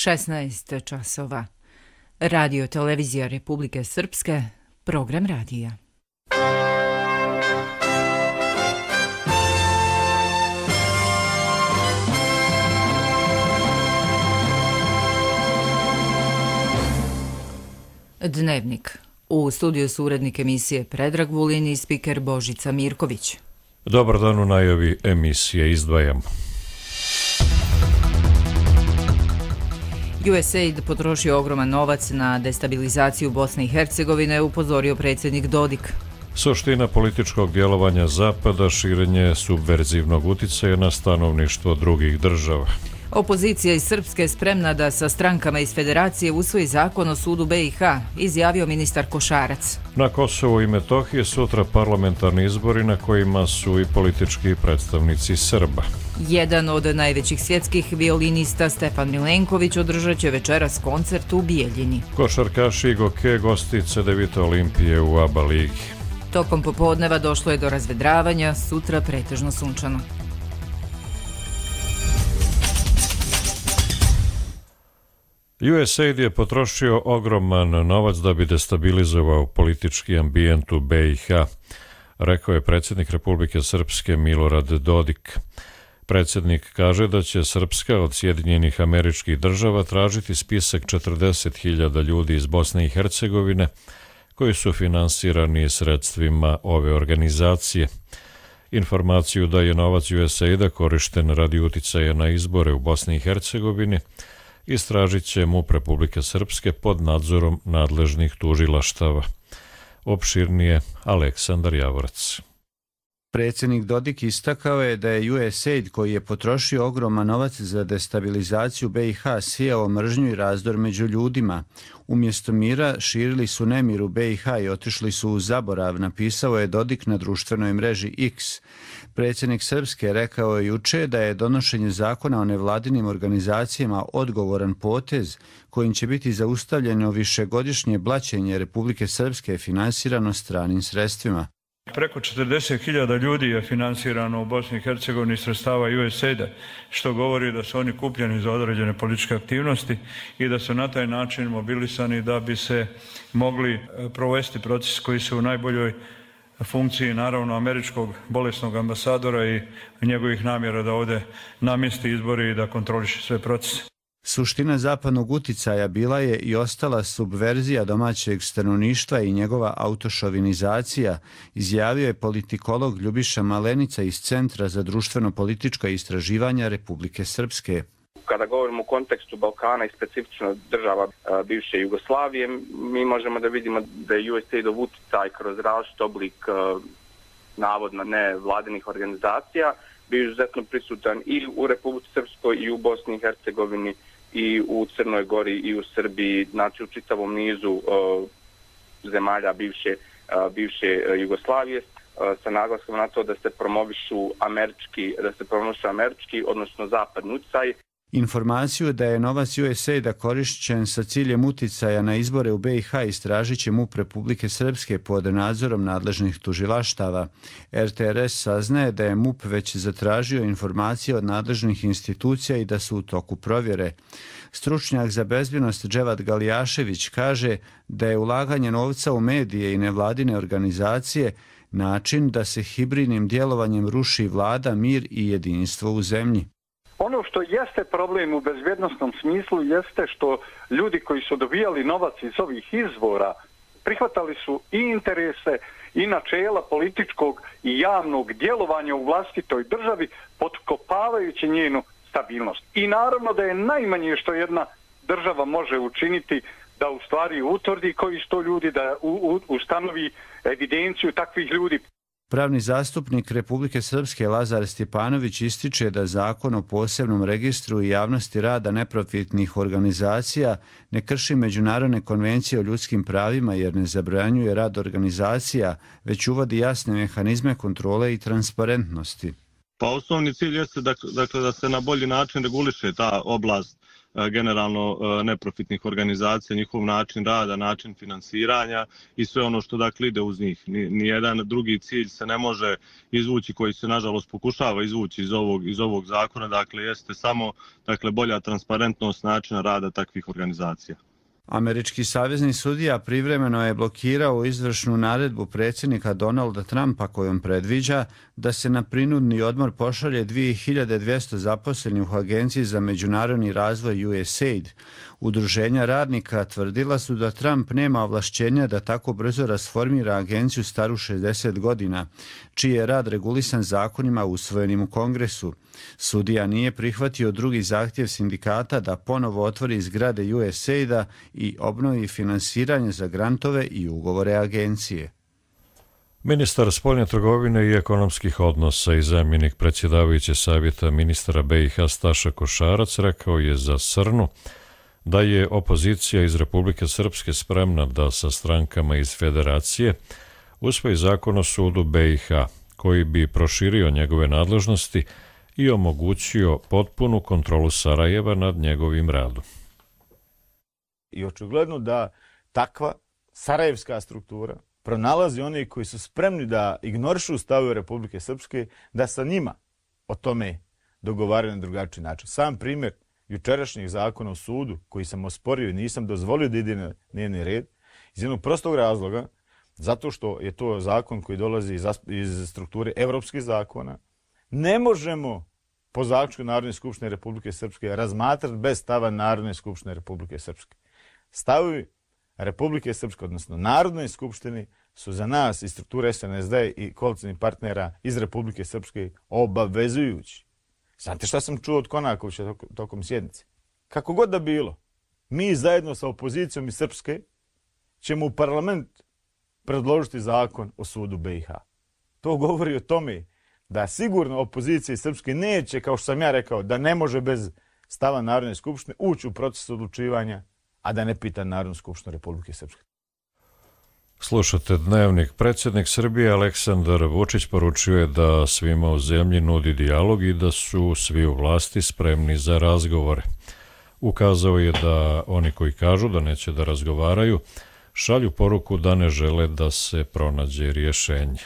16 časova. Radio Televizija Republike Srpske, program radija. Dnevnik. U studiju su urednik emisije Predrag Vulin i spiker Božica Mirković. Dobar dan, u najavi emisije izdvajamo. USAID potrošio ogroman novac na destabilizaciju Bosne i Hercegovine, upozorio predsjednik Dodik. Suština političkog djelovanja Zapada, širenje subverzivnog uticaja na stanovništvo drugih država. Opozicija iz Srpske spremna da sa strankama iz Federacije usvoji zakon o sudu BiH, izjavio ministar Košarac. Na Kosovu i Metohiji sutra parlamentarni izbori na kojima su i politički predstavnici Srba. Jedan od najvećih svjetskih violinista Stefan Milenković održat će večeras koncert u Bijeljini. Košarkaši Goke gosti CDVita Olimpije u ABA ligi. Tokom popodneva došlo je do razvedravanja, sutra pretežno sunčano. USAID je potrošio ogroman novac da bi destabilizovao politički ambijent u BiH, rekao je predsjednik Republike Srpske Milorad Dodik. Predsjednik kaže da će Srpska od Sjedinjenih Američkih Država tražiti spisak 40.000 ljudi iz Bosne i Hercegovine koji su finansirani sredstvima ove organizacije. Informaciju da je novac USAID-a korišten radi uticaja na izbore u Bosni i Hercegovini istražit će MUP Republike Srpske pod nadzorom nadležnih tužilaštava. Opširnije Aleksandar Javorac. Predsjednik Dodik istakao je da je USAID, koji je potrošio ogroman novac za destabilizaciju BiH, sijao mržnju i razdor među ljudima. Umjesto mira širili su nemir u BiH i otišli su u zaborav, napisao je Dodik na društvenoj mreži X. Predsjednik Srpske rekao je juče da je donošenje zakona o nevladinim organizacijama odgovoran potez kojim će biti zaustavljeno višegodišnje blaćenje Republike Srpske finansirano stranim sredstvima. Preko 40.000 ljudi je finansirano u Bosni i Hercegovini sredstava USAID-a, što govori da su oni kupljeni za određene političke aktivnosti i da su na taj način mobilisani da bi se mogli provesti proces koji su u najboljoj funkciji, naravno, američkog bolesnog ambasadora i njegovih namjera da ovdje namjesti izbori i da kontroliše sve procese. Suština zapadnog uticaja bila je i ostala subverzija domaćeg stanovništva i njegova autošovinizacija, izjavio je politikolog Ljubiša Malenica iz Centra za društveno-politička istraživanja Republike Srpske. Kada govorimo u kontekstu Balkana i specifično država bivše Jugoslavije, mi možemo da vidimo da je USAID-ov uticaj kroz različit oblik navodno nevladinih organizacija bio izuzetno prisutan i u Republici Srpskoj i u Bosni i Hercegovini i u Crnoj Gori i u Srbiji, znači u čitavom nizu zemalja bivše Jugoslavije, sa naglaskom na to da se promovišu američki, odnosno zapadni uticaj. Informaciju da je novac USAID-a korišćen sa ciljem uticaja na izbore u BiH istražit će MUP Republike Srpske pod nadzorom nadležnih tužilaštava. RTRS saznaje da je MUP već zatražio informacije od nadležnih institucija i da su u toku provjere. Stručnjak za bezbjednost Dževad Galijašević kaže da je ulaganje novca u medije i nevladine organizacije način da se hibridnim djelovanjem ruši vlada, mir i jedinstvo u zemlji. Ono što jeste problem u bezbjednostnom smislu jeste što ljudi koji su dobijali novac iz ovih izvora prihvatali su i interese i načela političkog i javnog djelovanja u vlastitoj državi, potkopavajući njenu stabilnost. I naravno da je najmanje što jedna država može učiniti da u stvari utvrdi koji su to ljudi, da ustanovi evidenciju takvih ljudi. Pravni zastupnik Republike Srpske Lazar Stjepanović ističe da zakon o posebnom registru i javnosti rada neprofitnih organizacija ne krši međunarodne konvencije o ljudskim pravima jer ne zabranjuje rad organizacija, već uvodi jasne mehanizme kontrole i transparentnosti. Pa osnovni cilj jeste da se na bolji način reguliše ta oblast generalno neprofitnih organizacija, njihov način rada, način finansiranja i sve ono što dakle ide uz njih. Nijedan drugi cilj se ne može izvući koji se nažalost pokušava izvući iz ovog zakona, dakle jeste samo bolja transparentnost načina rada takvih organizacija. Američki savezni sudija privremeno je blokirao izvršnu naredbu predsjednika Donalda Trumpa kojom predviđa da se na prinudni odmor pošalje 2200 zaposlenih u Agenciji za međunarodni razvoj USAID. Udruženja radnika tvrdila su da Trump nema ovlašćenja da tako brzo rasformira agenciju staru 60 godina, čiji je rad regulisan zakonima usvojenim u Kongresu. Sudija nije prihvatio drugi zahtjev sindikata da ponovo otvori zgrade USAID-a i obnovi finansiranje za grantove i ugovore agencije. Ministar spoljne trgovine i ekonomskih odnosa i zamjenik predsjedavajuće savjeta ministara BiH Staša Košarac rekao je za Srnu da je opozicija iz Republike Srpske spremna da sa strankama iz Federacije usvoji zakon o sudu BiH, koji bi proširio njegove nadležnosti i omogućio potpunu kontrolu Sarajeva nad njegovim radom. I očigledno da takva sarajevska struktura pronalazi oni koji su spremni da ignorišu stavove Republike Srpske, da sa njima o tome dogovaraju na drugačiji način. Sam primjer jučerašnjeg zakona o sudu, koji sam osporio i nisam dozvolio da ide na dnevni red, iz jednog prostog razloga, zato što je to zakon koji dolazi iz strukture evropskih zakona, ne možemo po zaključku Narodne skupštine Republike Srpske razmatrati bez stava Narodne skupštine Republike Srpske. Stavovi Republike Srpske, odnosno Narodnoj skupštini, su za nas iz strukture SNSD i koalicijnih partnera iz Republike Srpske obavezujući. Znate šta sam čuo od Konakovića tokom sjednice? Kako god da bilo, mi zajedno sa opozicijom iz Srpske ćemo u parlament predložiti zakon o sudu BiH. To govori o tome da sigurno opozicija iz Srpske neće, kao što sam ja rekao, da ne može bez stava Narodne skupštine ući u proces odlučivanja, a da ne pita Narodnu skupštinu Republike Srpske. Slušate Dnevnik. Predsjednik Srbije Aleksandar Vučić poručio je da svima u zemlji nudi dijalog i da su svi u vlasti spremni za razgovore. Ukazao je da oni koji kažu da neće da razgovaraju šalju poruku da ne žele da se pronađe rješenje.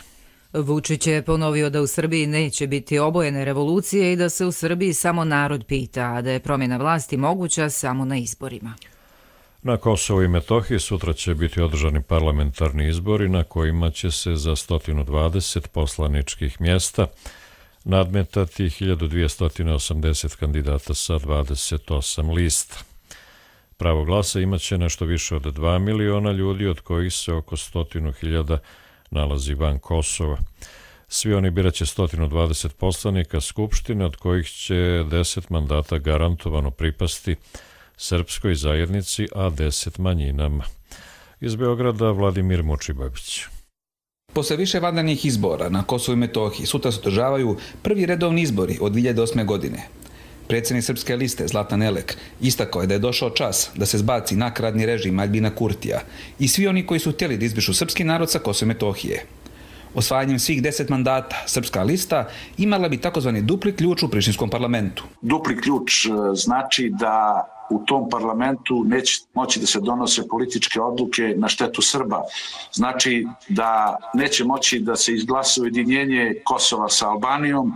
Vučić je ponovio da u Srbiji neće biti obojene revolucije i da se u Srbiji samo narod pita, a da je promjena vlasti moguća samo na izborima. Na Kosovu i Metohiji sutra će biti održani parlamentarni izbori na kojima će se za 120 poslaničkih mjesta nadmetati 1280 kandidata sa 28 lista. Pravo glasa imaće nešto više od 2 miliona ljudi, od kojih se oko 100.000 nalazi van Kosova. Svi oni biraće 120 poslanika Skupštine, od kojih će 10 mandata garantovano pripasti srpskoj zajednici, a 10 manjinama. Iz Beograda Vladimir Mučibabić. Posle više vanrednih izbora na Kosovu i Metohiji sutra se održavaju prvi redovni izbori od 2008. godine. Predsjednik Srpske liste Zlatan Elek istakao je da je došao čas da se zbaci nakaradni režim Aljbina Kurtija i svi oni koji su htjeli da izbrišu srpski narod sa Kosova i Metohije. Osvajanjem svih 10 mandata Srpska lista imala bi takozvani dupli ključ u prištinskom parlamentu. Dupli ključ znači da u tom parlamentu neće moći da se donose političke odluke na štetu Srba. Znači da neće moći da se izglasa ujedinjenje Kosova sa Albanijom,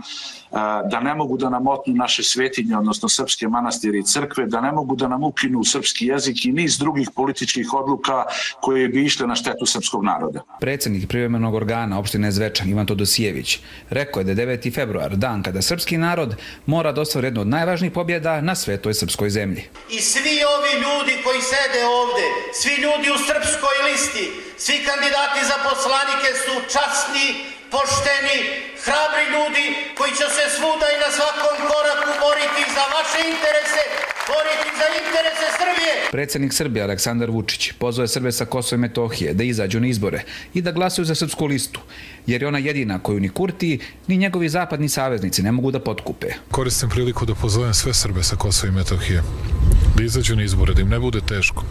da ne mogu da nam otmu naše svetinje, odnosno srpske manastire i crkve, da ne mogu da nam ukinu srpski jezik i niz drugih političkih odluka koje bi išle na štetu srpskog naroda. Predsjednik privremenog organa opštine Zvečan Ivan Todosijević rekao je da je 9. februar dan kada srpski narod mora da ostvari jednu od najvažnijih pobjeda na svetoj srpskoj zemlji. I svi ovi ljudi koji sede ovde, svi ljudi u Srpskoj listi, svi kandidati za poslanike su časni, pošteni, hrabri ljudi koji će se svuda i na svakom koraku boriti za vaše interese, boriti za interese Srbije. Predsjednik Srbije Aleksandar Vučić pozvao je Srbe sa Kosova i Metohije da izađu na izbore i da glasuju za Srpsku listu, jer je ona jedina koju ni Kurti, ni njegovi zapadni saveznici ne mogu da potkupe. Koristim priliku da pozovem sve Srbe sa Kosova i Metohije da izađu na izbore, da im ne bude teško.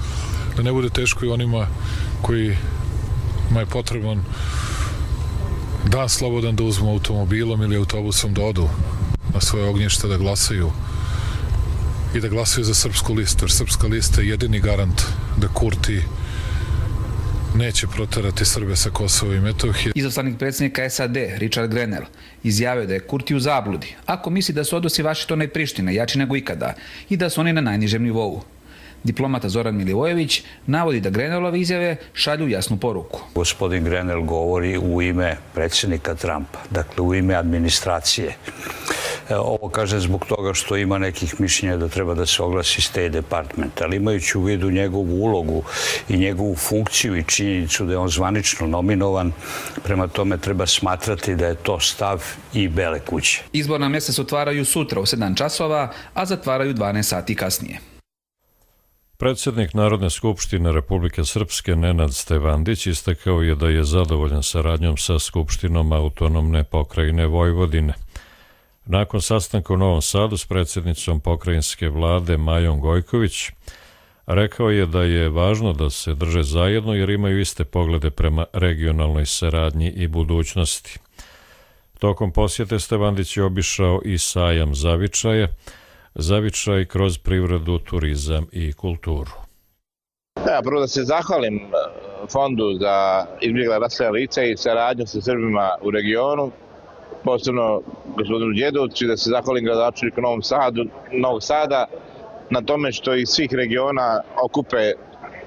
Da ne bude teško i onima kojima je potreban dan slobodan da uzmu automobilom ili autobusom da odu na svoje ognjište da glasaju i da glasaju za srpsku listu, jer srpska lista je jedini garant da Kurti neće proterati Srbe sa Kosova i Metohije. Izaslanik predsjednika SAD, Richard Grenell, izjavio da je Kurti u zabludi ako misli da su odnosi Vašingtona i Prištine jači nego ikada i da su oni na najnižem nivou. Diplomata Zoran Milivojević navodi da Grenellove izjave šalju jasnu poruku. Gospodin Grenell govori u ime predsjednika Trumpa, dakle u ime administracije. Ovo kaže zbog toga što ima nekih mišljenja da treba da se oglasi State Department, ali imajući u vidu njegovu ulogu i njegovu funkciju i činjenicu da je on zvanično nominovan, prema tome treba smatrati da je to stav i Bele kuće. Izborna mjesta se otvaraju sutra u 7 časova, a zatvaraju 12 sati kasnije. Predsjednik Narodne skupštine Republike Srpske Nenad Stevandić istakao je da je zadovoljan saradnjom sa Skupštinom autonomne pokrajine Vojvodine. Nakon sastanka u Novom Sadu s predsjednicom pokrajinske vlade Majom Gojković, rekao je da je važno da se drže zajedno jer imaju iste poglede prema regionalnoj saradnji i budućnosti. Tokom posjete Stevandić je obišao i sajam Zavičaj kroz privredu, turizam i kulturu. Prvo da se zahvalim Fondu za izbjegla raseljena lica i saradnju sa Srbima u regionu, posebno gospodinu Đedovcu, da se zahvalim gradonačelniku Novog Sada na tome što iz svih regiona okupe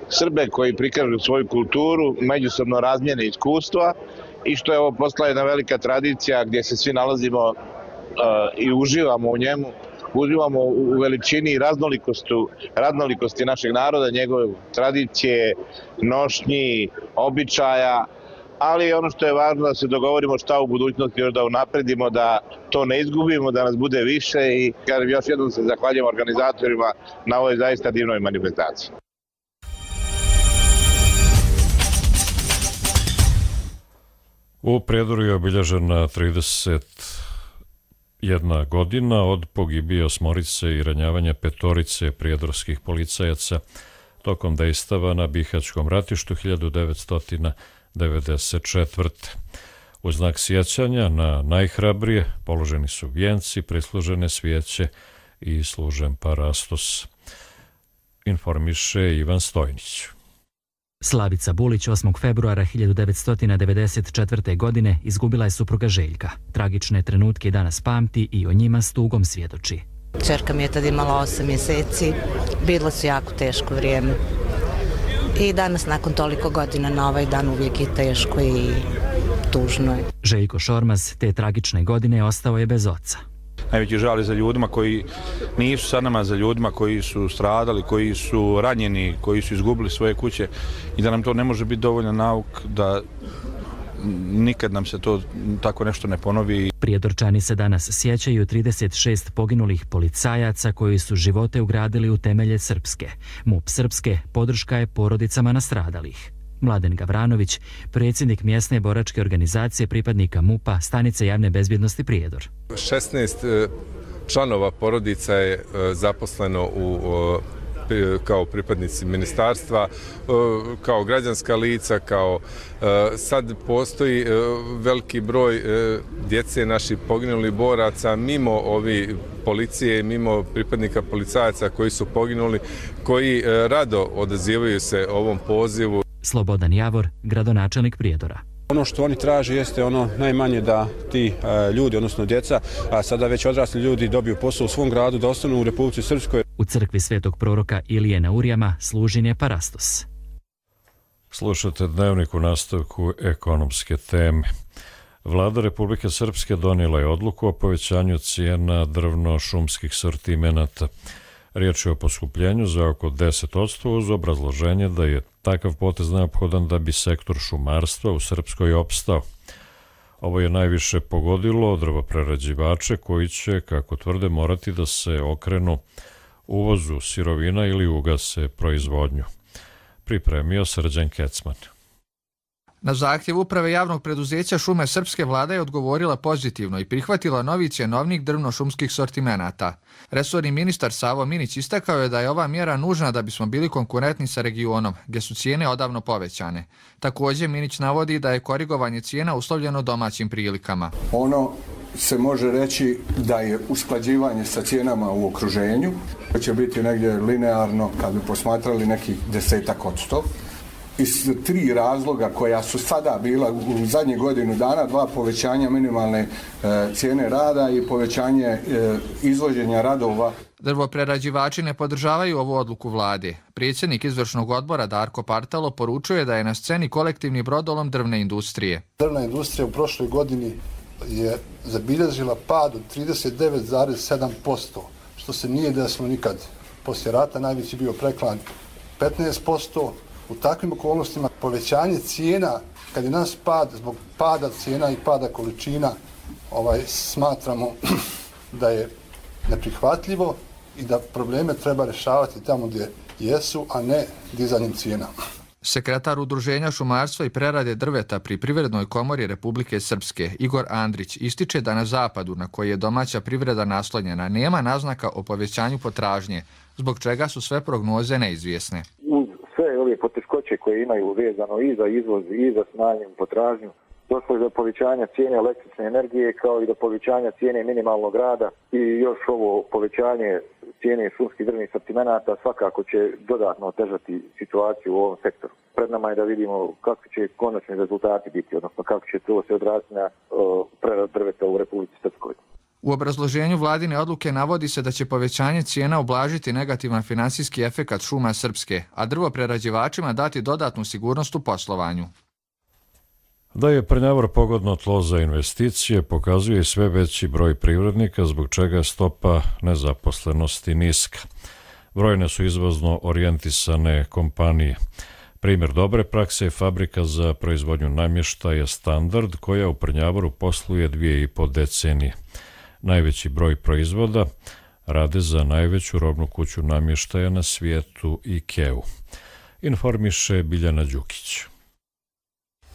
Srbe koji prikažu svoju kulturu, međusobno razmjene iskustva i što je ovo postala jedna velika tradicija gdje se svi nalazimo i uživamo u njemu. Uživamo u veličini i raznolikosti našeg naroda, njegove tradicije, nošnji, običaja, ali ono što je važno da se dogovorimo šta u budućnosti još da unapredimo, da to ne izgubimo, da nas bude više i još jednom se zahvaljujem organizatorima na ovoj zaista divnoj manifestaciji. U Prijedoru je obilježena 31 godina od pogibije 8 i ranjavanja 5 prijedorskih policajaca tokom dejstava na Bihaćkom ratištu 1994. U znak sjećanja na najhrabrije položeni su vijenci, prislužene svijeće i služen parastos. Informiše Ivan Stojnić. Slavica Bulić 8. februara 1994. godine izgubila je supruga Željka. Tragične trenutke i danas pamti i o njima s tugom svjedoči. Čerka mi je tad imala 8 mjeseci, bilo su jako teško vrijeme. I danas nakon toliko godina na ovaj dan uvijek je teško i tužno je. Željko Šormaz te tragične godine ostao je bez oca. Najveći žal je za ljudima koji nisu sa nama, za ljudima koji su stradali, koji su ranjeni, koji su izgubili svoje kuće i da nam to ne može biti dovoljan nauk da nikad nam se to tako nešto ne ponovi. Prijedorčani se danas sjećaju 36 poginulih policajaca koji su živote ugradili u temelje Srpske. MUP Srpske podrška je porodicama nastradalih. Mladen Gavranović, predsjednik mjesne boračke organizacije pripadnika MUP-a stanice javne bezbjednosti Prijedor. 16 članova porodica je zaposleno kao pripadnici ministarstva, kao građanska lica, sad postoji veliki broj djece naših poginulih boraca, mimo ovi policije, mimo pripadnika policajaca koji su poginuli, koji rado odazivaju se ovom pozivu. Slobodan Javor, gradonačelnik Prijedora. Ono što oni traže jeste ono najmanje da ti ljudi, odnosno djeca, a sada već odrasli ljudi dobiju posao u svom gradu, da ostanu u Republici Srpskoj. U crkvi svetog proroka Ilije na Urijama služen je parastos. Slušate dnevnik u nastavku ekonomske teme. Vlada Republike Srpske donijela je odluku o povećanju cijena drvno-šumskih sortimenata. Riječ je o poskupljenju za oko 10% uz obrazloženje da je takav potez neophodan da bi sektor šumarstva u Srpskoj opstao. Ovo je najviše pogodilo drvoprerađivače koji će, kako tvrde, morati da se okrenu uvozu sirovina ili ugase proizvodnju. Pripremio Srđan Kecman. Na zahtjev uprave javnog preduzeća Šume Srpske vlada je odgovorila pozitivno i prihvatila novi cjenovnik drvno-šumskih sortimenata. Resorni ministar Savo Minić istakao je da je ova mjera nužna da bismo bili konkurentni sa regionom, gdje su cijene odavno povećane. Također Minić navodi da je korigovanje cijena uslovljeno domaćim prilikama. Ono se može reći da je usklađivanje sa cijenama u okruženju, to će biti negdje linearno kad bi posmatrali nekih 10%. Iz 3 razloga koja su sada bila u zadnjih godinu dana, 2 povećanja minimalne cijene rada i povećanje izvođenja radova. Drvoprerađivači ne podržavaju ovu odluku vlade. Predsjednik izvršnog odbora Darko Partalo poručuje da je na sceni kolektivni brodolom drvne industrije. Drvna industrija u prošloj godini je zabilježila pad od 39,7%, što se nije desilo nikad. Poslije rata najveći bio preklan 15%. U takvim okolnostima povećanje cijena, kad je nas pad zbog pada cijena i pada količina, smatramo da je neprihvatljivo i da probleme treba rješavati tamo gdje jesu, a ne dizanjem cijena. Sekretar Udruženja šumarstva i prerade drveta pri Privrednoj komori Republike Srpske, Igor Andrić, ističe da na zapadu, na koji je domaća privreda naslonjena, nema naznaka o povećanju potražnje, zbog čega su sve prognoze neizvjesne. Uz sve ove poteškoće koje imaju vezano i za izvoz i za smanjenju potražnju, došlo je do povećanja cijene električne energije kao i do povećanja cijene minimalnog rada i još ovo povećanje cijene šumskih drvnih sortimenata svakako će dodatno otežati situaciju u ovom sektoru. Pred nama je da vidimo kakvi će konačni rezultati biti, odnosno kako će to se odraziti na preradu drveta u Republici Srpskoj. U obrazloženju vladine odluke navodi se da će povećanje cijena ublažiti negativan finansijski efekat šuma Srpske, a drvoprerađivačima dati dodatnu sigurnost u poslovanju. Da je Prnjavor pogodno tlo za investicije pokazuje i sve veći broj privrednika, zbog čega je stopa nezaposlenosti niska. Brojne su izvozno orijentisane kompanije. Primjer dobre prakse je fabrika za proizvodnju namještaja Standard, koja u Prnjavoru posluje 2,5 decenije. Najveći broj proizvoda rade za najveću robnu kuću namještaja na svijetu IKEA-u. Informiše Biljana Đukić.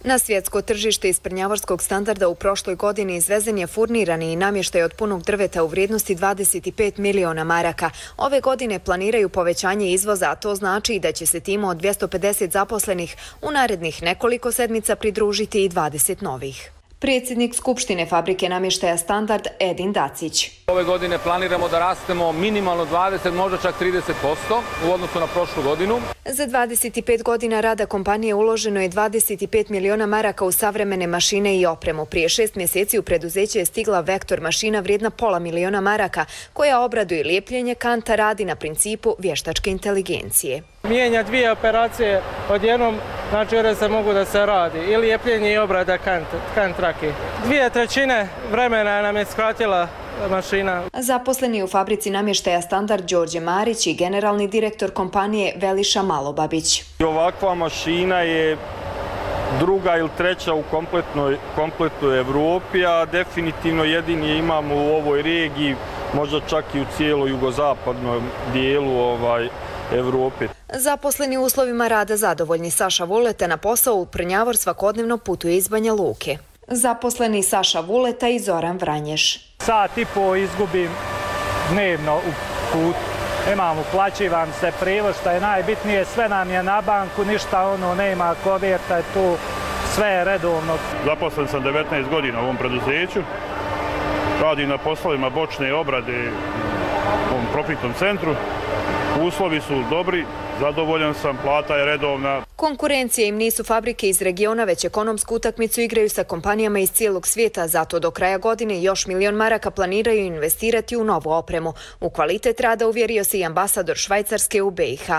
Na svjetsko tržište iz Prnjavorskog Standarda u prošloj godini izvezen je furnirani i namještaj od punog drveta u vrijednosti 25 miliona maraka. Ove godine planiraju povećanje izvoza, a to znači i da će se timu od 250 zaposlenih u narednih nekoliko sedmica pridružiti i 20 novih. Predsjednik Skupštine fabrike namještaja Standard Edin Dacić. Ove godine planiramo da rastemo minimalno 20, možda čak 30% u odnosu na prošlu godinu. Za 25 godina rada kompanije uloženo je 25 miliona maraka u savremene mašine i opremu. Prije 6 mjeseci u preduzeće je stigla Vektor mašina vrijedna pola miliona maraka, koja obraduje lijepljenje kanta, radi na principu vještačke inteligencije. Mijenja 2 operacije odjednom, znači se mogu da se radi, ili lijepljenje i obrada kant trake. 2/3 vremena nam je skratila mašina. Zaposleni u fabrici namještaja Standard Đorđe Marić i generalni direktor kompanije Veliša Malobabić. Ovakva mašina je druga ili treća u kompletnoj Evropi, a definitivno jedini je imamo u ovoj regiji, možda čak i u cijeloj jugozapadnom dijelu Evrope. Zaposleni u uslovima rada zadovoljni. Saša Vuleta na posao u Prnjavor svakodnevno putuje iz Banja Luke. Zaposleni Saša Vuleta i Zoran Vranješ. Sat i po izgubim dnevno u put. Imam, uplaćivam se prijevoz, što je najbitnije, sve nam je na banku, ništa nema koverta, tu sve je redovno. Zaposlen sam 19 godina u ovom preduzeću. Radim na poslovima bočne obrade u ovom profitnom centru. Uslovi su dobri, zadovoljan sam, plata je redovna. Konkurencije im nisu fabrike iz regiona, već ekonomsku utakmicu igraju sa kompanijama iz cijelog svijeta, zato do kraja godine još milion maraka planiraju investirati u novu opremu. U kvalitet rada uvjerio se i ambasador Švajcarske u BiH.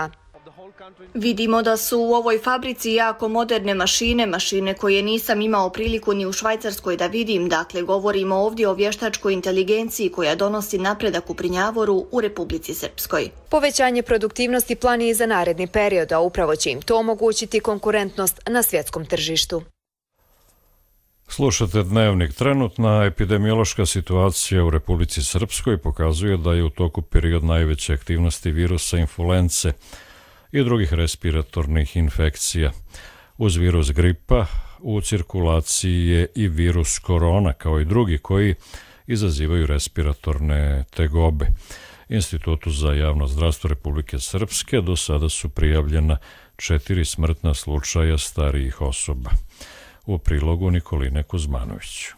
Vidimo da su u ovoj fabrici jako moderne mašine koje nisam imao priliku ni u Švajcarskoj da vidim. Dakle, govorimo ovdje o vještačkoj inteligenciji koja donosi napredak u Prnjavoru u Republici Srpskoj. Povećanje produktivnosti plan je i za naredni period, a upravo će im to omogućiti konkurentnost na svjetskom tržištu. Slušate Dnevnik. Trenutna epidemiološka situacija u Republici Srpskoj pokazuje da je u toku period najveće aktivnosti virusa influence i drugih respiratornih infekcija. Uz virus gripa u cirkulaciji je i virus korona, kao i drugi koji izazivaju respiratorne tegobe. Institutu za javno zdravstvo Republike Srpske do sada su prijavljena 4 smrtna slučaja starijih osoba. U prilogu Nikoline Kuzmanović.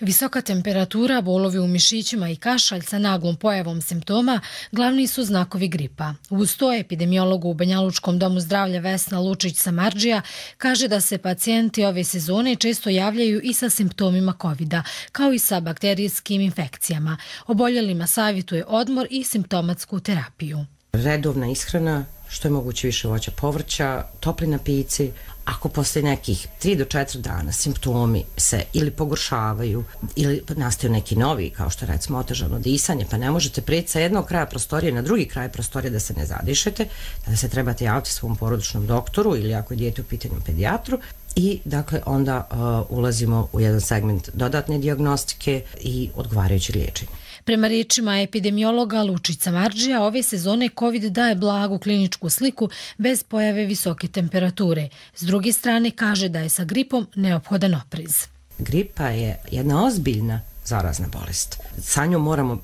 Visoka temperatura, bolovi u mišićima i kašalj sa naglom pojavom simptoma glavni su znakovi gripa. Uz to epidemiolog u Banjalučkom domu zdravlja Vesna Lučić-Samardžija kaže da se pacijenti ove sezone često javljaju i sa simptomima covida, kao i sa bakterijskim infekcijama. Oboljelima savjetuje odmor i simptomatsku terapiju. Redovna ishrana, što je moguće više voća, povrća, topli napici. Ako posle nekih 3 do 4 dana simptomi se ili pogoršavaju ili nastaju neki novi, kao što recimo otežano disanje, pa ne možete preći sa jednog kraja prostorije na drugi kraj prostorije da se ne zadišete, da se trebate javiti svom porodičnom doktoru ili ako je dijete u pitanju pedijatru. I dakle onda ulazimo u jedan segment dodatne dijagnostike i odgovarajućeg liječenja. Prema riječima epidemiologa Lučić-Samardžija, ove sezone COVID daje blagu kliničku sliku bez pojave visoke temperature. S druge strane kaže da je sa gripom neophodan oprez. Gripa je jedna ozbiljna zarazna bolest. Sa njom moramo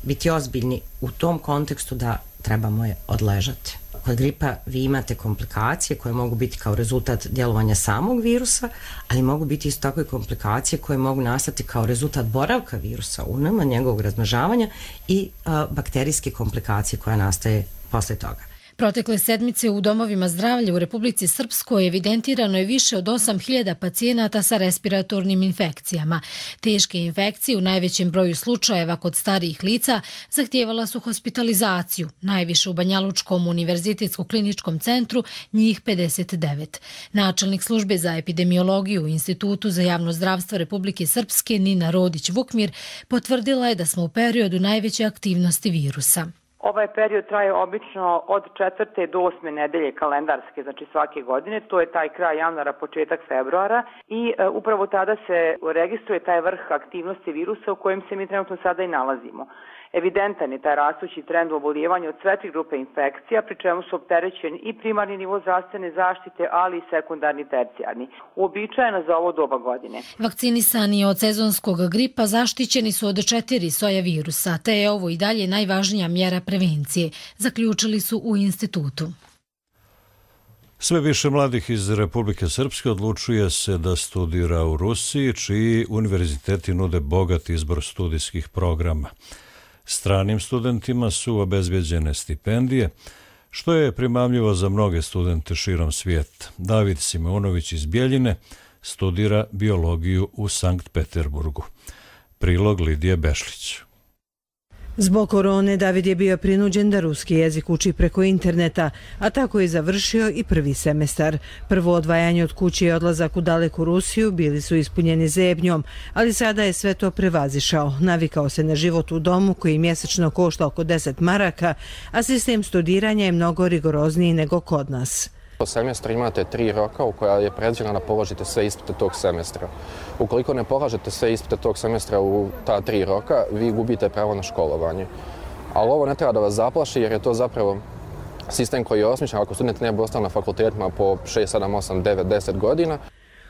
biti ozbiljni u tom kontekstu da trebamo je odležati. Kod gripa vi imate komplikacije koje mogu biti kao rezultat djelovanja samog virusa, ali mogu biti isto tako i komplikacije koje mogu nastati kao rezultat boravka virusa u nama, njegovog razmnožavanja i bakterijske komplikacije koja nastaje posle toga. Protekle sedmice u domovima zdravlja u Republici Srpskoj evidentirano je više od 8.000 pacijenata sa respiratornim infekcijama. Teške infekcije u najvećem broju slučajeva kod starijih lica zahtijevala su hospitalizaciju, najviše u Banjalučkom univerzitetskom kliničkom centru, njih 59. Načelnik službe za epidemiologiju u Institutu za javno zdravstvo Republike Srpske Nina Rodić-Vukmir potvrdila je da smo u periodu najveće aktivnosti virusa. Ovaj period traje obično od 4. do 8. nedelje kalendarske, znači svake godine. To je taj kraj januara, početak februara i upravo tada se registruje taj vrh aktivnosti virusa u kojem se mi trenutno sada i nalazimo. Evidentan je taj rastući trend u oboljevanju od sve 3 grupe infekcija, pri čemu su opterećeni i primarni nivo zdravstvene zaštite, ali i sekundarni, tercijarni. Uobičajeno za ovo doba godine. Vakcinisani od sezonskog gripa zaštićeni su od 4 soja virusa, te je ovo i dalje najvažnija mjera prevencije, zaključili su u institutu. Sve više mladih iz Republike Srpske odlučuje se da studira u Rusiji, čiji univerziteti nude bogat izbor studijskih programa. Stranim studentima su obezbeđene stipendije, što je primamljivo za mnoge studente širom svijeta. David Simeunović iz Bjeljine studira biologiju u Sankt Peterburgu. Prilog Lidije Bešlić. Zbog korone David je bio prinuđen da ruski jezik uči preko interneta, a tako je završio i prvi semestar. Prvo odvajanje od kuće i odlazak u daleku Rusiju bili su ispunjeni zebnjom, ali sada je sve to prevazišao. Navikao se na život u domu koji mjesečno košta oko 10 maraka, a sistem studiranja je mnogo rigorozniji nego kod nas. Po semestru imate 3 roka u koja je predviđeno da položite sve ispite tog semestra. Ukoliko ne polažete sve ispite tog semestra u ta 3 roka, vi gubite pravo na školovanje. Ali ovo ne treba da vas zaplaši jer je to zapravo sistem koji je osmišljen ako student ne bi ostao na fakultetima po 6, 7, 8, 9, 10 godina.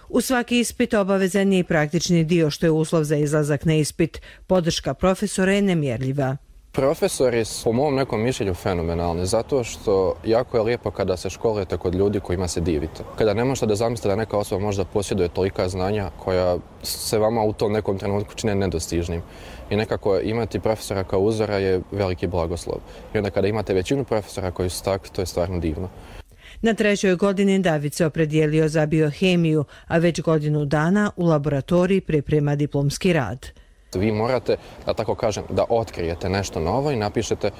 U svaki ispit obavezan je i praktični dio što je uslov za izlazak na ispit. Podrška profesora je nemjerljiva. Profesori su po mom nekom mišljenju fenomenalni, zato što jako je lijepo kada se školujete kod ljudi kojima se divite. Kada ne možete da zamislite da neka osoba možda posjeduje tolika znanja koja se vama u tom nekom trenutku čine nedostižnim. I nekako imati profesora kao uzora je veliki blagoslov. I onda kada imate većinu profesora koji su takvi, to je stvarno divno. Na 3. godini David se opredijelio za biohemiju, a već godinu dana u laboratoriji priprema diplomski rad. Vi morate, da tako kažem, da otkrijete nešto novo i napišete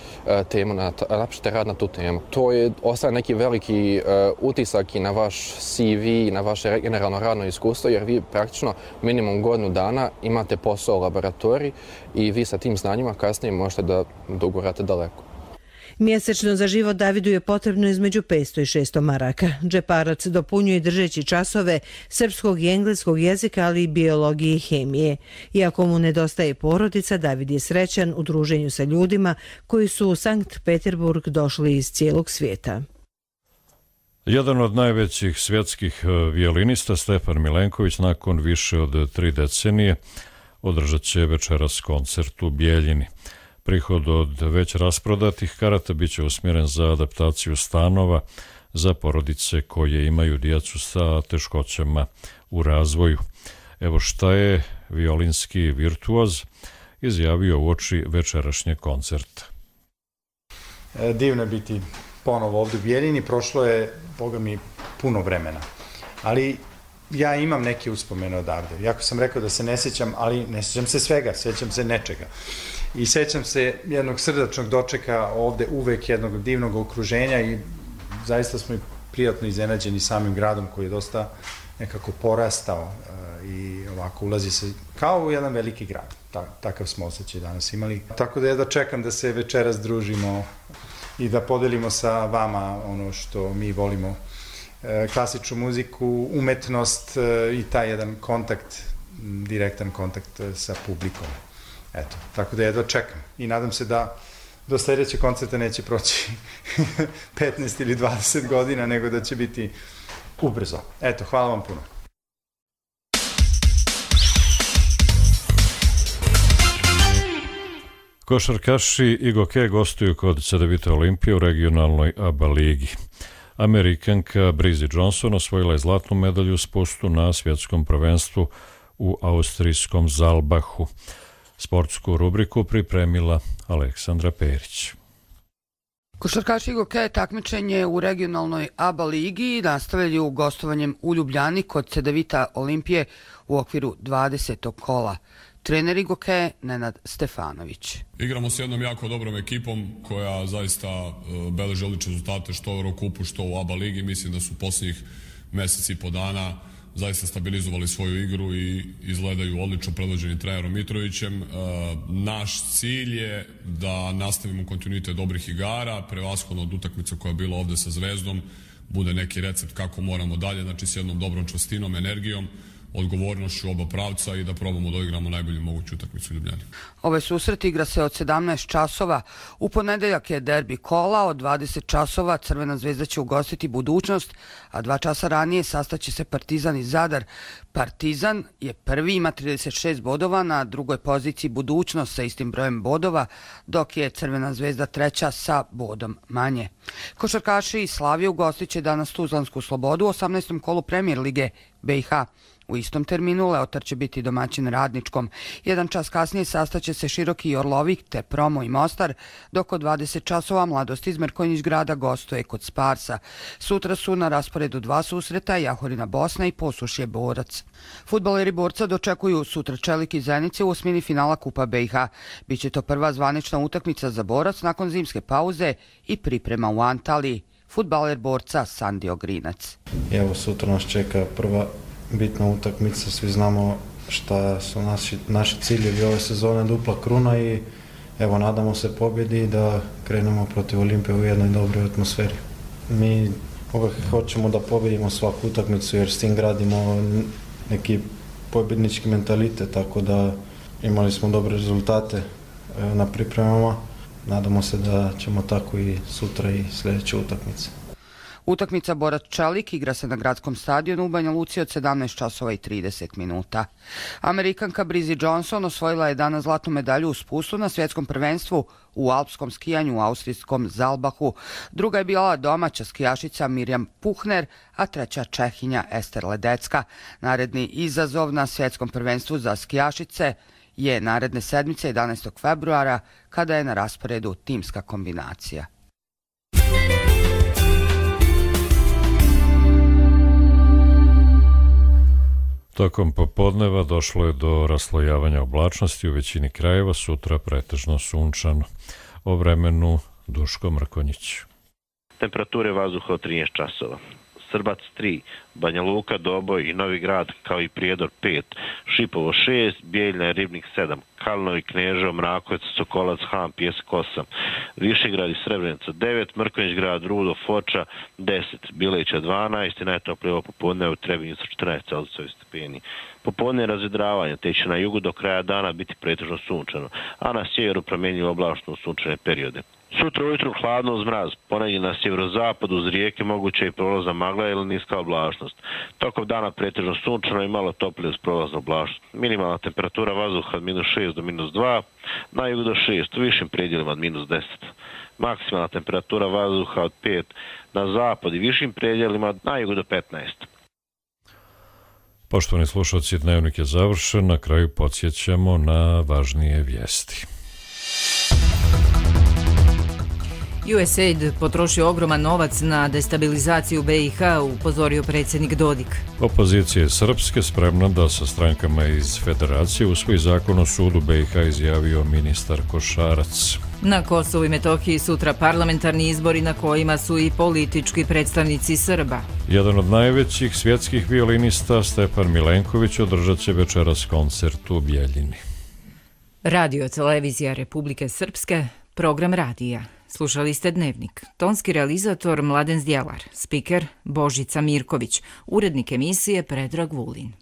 temu, napišete rad na tu temu. To je ostaje neki veliki utisak i na vaš CV i na vaše generalno radno iskustvo, jer vi praktično minimum godinu dana imate posao u laboratoriji i vi sa tim znanjima kasnije možete da dogurate daleko. Mjesečno za život Davidu je potrebno između 500 i 600 maraka. Džeparac dopunjuje držeći časove srpskog i engleskog jezika, ali i biologije i hemije. Iako mu nedostaje porodica, David je srećan u druženju sa ljudima koji su u Sankt Peterburg došli iz cijelog svijeta. Jedan od najvećih svjetskih violinista, Stefan Milenković, nakon više od 3 decenije održat će večeras koncert u Bjeljini. Prihod od već rasprodatih karata bit će usmjeren za adaptaciju stanova za porodice koje imaju djecu sa teškoćama u razvoju. Evo šta je violinski virtuoz, izjavio uoči večerašnjeg koncerta. Divno je biti ponovo ovdje u Bijeljini, prošlo je, boga mi, puno vremena. Ali ja imam neke uspomene odavde. Jako sam rekao da se ne sjećam, ali ne sjećam se svega, sjećam se nečega. I sjećam se jednog srdačnog dočeka ovde, uvek jednog divnog okruženja i zaista smo i prijatno iznenađeni samim gradom koji je dosta nekako porastao i ovako ulazi se kao u jedan veliki grad. Takav smo osjećaj danas imali. Tako da ja da čekam da se večeras družimo i da podelimo sa vama ono što mi volimo. Klasičnu muziku, umetnost i taj jedan kontakt, direktan kontakt sa publikom. Eto, tako da jedva čekam i nadam se da do sljedećeg koncerta neće proći 15 ili 20 godina, nego da će biti ubrzo. Eto, hvala vam puno. Košarkaši i Goke gostuju kod Cedevita Olimpije u regionalnoj ABA ligi. Amerikanka Brizzy Johnson osvojila je zlatnu medalju u spustu na svjetskom prvenstvu u austrijskom Zalbahu. Sportsku rubriku pripremila Aleksandra Perić. Košarkaši Goke takmičenje u regionalnoj ABA ligi nastavljaju gostovanjem u Ljubljani kod Cedevita Olimpije u okviru 20. kola. Trener Goke Nenad Stefanović. Igramo s jednom jako dobrom ekipom koja zaista beleži odlične rezultate što u Eurokupu, što u ABA ligi. Mislim da su posljednjih mjeseci i po dana zaista stabilizovali svoju igru i izgledaju odlično predvođeni trenerom Mitrovićem. Naš cilj je da nastavimo kontinuitet dobrih igara, prevashodno od utakmice koja je bila ovdje sa Zvezdom, bude neki recept kako moramo dalje, znači s jednom dobrom čvrstinom, energijom, odgovornošću oba pravca i da probamo da igramo najbolju moguću utakmicu u Ljubljani. Ovaj susret igra se od 17 časova. U ponedeljak je derbi kola, od 20 časova Crvena zvezda će ugostiti Budućnost, a 2 časa ranije sastaće se Partizan i Zadar. Partizan je prvi, ima 36 bodova, na drugoj poziciji Budućnost sa istim brojem bodova, dok je Crvena zvezda treća sa bodom manje. Košarkaši iz Slavije ugostit će danas Tuzlansku Slobodu u 18. kolu Premijer lige BiH. U istom terminu Leotar će biti domaćin Radničkom. 1 čas kasnije sastaće se Široki i Orlovik te Promo i Mostar, dok od 20 časova Mladost iz Merkonjić grada gostuje kod Sparsa. Sutra su na rasporedu 2 susreta, Jahorina Bosna i Posušje Borac. Fudbaleri Borca dočekuju sutra Čelik i Zenice u osmini finala Kupa BiH. Biće to prva zvanična utakmica za Borac nakon zimske pauze i priprema u Antaliji. Fudbaler Borca Sandio Grinac. Evo sutra nas čeka prva bitna utakmica, svi znamo šta su naši ciljevi ove sezone, dupla kruna i evo nadamo se pobjedi da krenemo protiv Olimpije u jednoj dobroj atmosferi. Mi uvijek hoćemo da pobjedimo svaku utakmicu jer s tim gradimo neki pobjednički mentalitet, tako da imali smo dobre rezultate na pripremama. Nadamo se da ćemo tako i sutra i sljedeće utakmice. Utakmica Borac-Čelik igra se na gradskom stadionu u Banja Luci od 17 časova i 30 minuta. Amerikanka Brizzy Johnson osvojila je danas zlatnu medalju u spustu na svjetskom prvenstvu u alpskom skijanju u austrijskom Zalbahu. Druga je bila domaća skijašica Mirjam Puhner, a treća Čehinja Ester Ledecka. Naredni izazov na svjetskom prvenstvu za skijašice je naredne sedmice 11. februara kada je na rasporedu timska kombinacija. Tokom popodneva došlo je do raslojavanja oblačnosti u većini krajeva, sutra pretežno sunčano. O vremenu Duško Mrkonjić. Temperature vazduha od 13 časova. Srbac 3, Banja Luka, Doboj i Novi Grad kao i Prijedor 5, Šipovo 6, Bijeljina i Ribnik 7, Kalinovi, Kneževo, Mrakovac, Sokolac, Han, Pijesak 8, Višegrad i Srebrenica 9, Mrkonjić grad, Rudo, Foča 10, Bileća 12 i najtoplije popodne u Trebinju sa 14 stepeni. Popodne razvedravanje, te će na jugu do kraja dana biti pretežno sunčano, a na sjeveru promjenjivo oblačno u sunčane periode. Sutra ujutru hladno uz mraz, ponegdje na sjeverozapadu uz rijeke moguće i prolazna magla ili niska oblačnost. Tokom dana pretežno sunčano i malo toplije uz prolaznu oblačnost. Minimalna temperatura vazduha od -6 do -2, na jugu do 6, u višim predjelima od -10. Maksimalna temperatura vazduha od 5 na zapad i višim predjelima, na jugu do 15. Poštovani slušalci, dnevnik je završen, na kraju podsjećamo na važnije vijesti. USAID potrošio ogroman novac na destabilizaciju BiH, upozorio predsjednik Dodik. Opozicija je srpske spremna da sa strankama iz federacije usvoji zakon o sudu BiH, izjavio ministar Košarac. Na Kosovu i Metohiji sutra parlamentarni izbori na kojima su i politički predstavnici Srba. Jedan od najvećih svjetskih violinista, Stepan Milenković, održat će večeras koncert u Bijeljini. Radio televizija Republike Srpske, program radija. Slušali ste Dnevnik. Tonski realizator Mladen Zdjelar, spiker Božica Mirković, urednik emisije Predrag Vulin.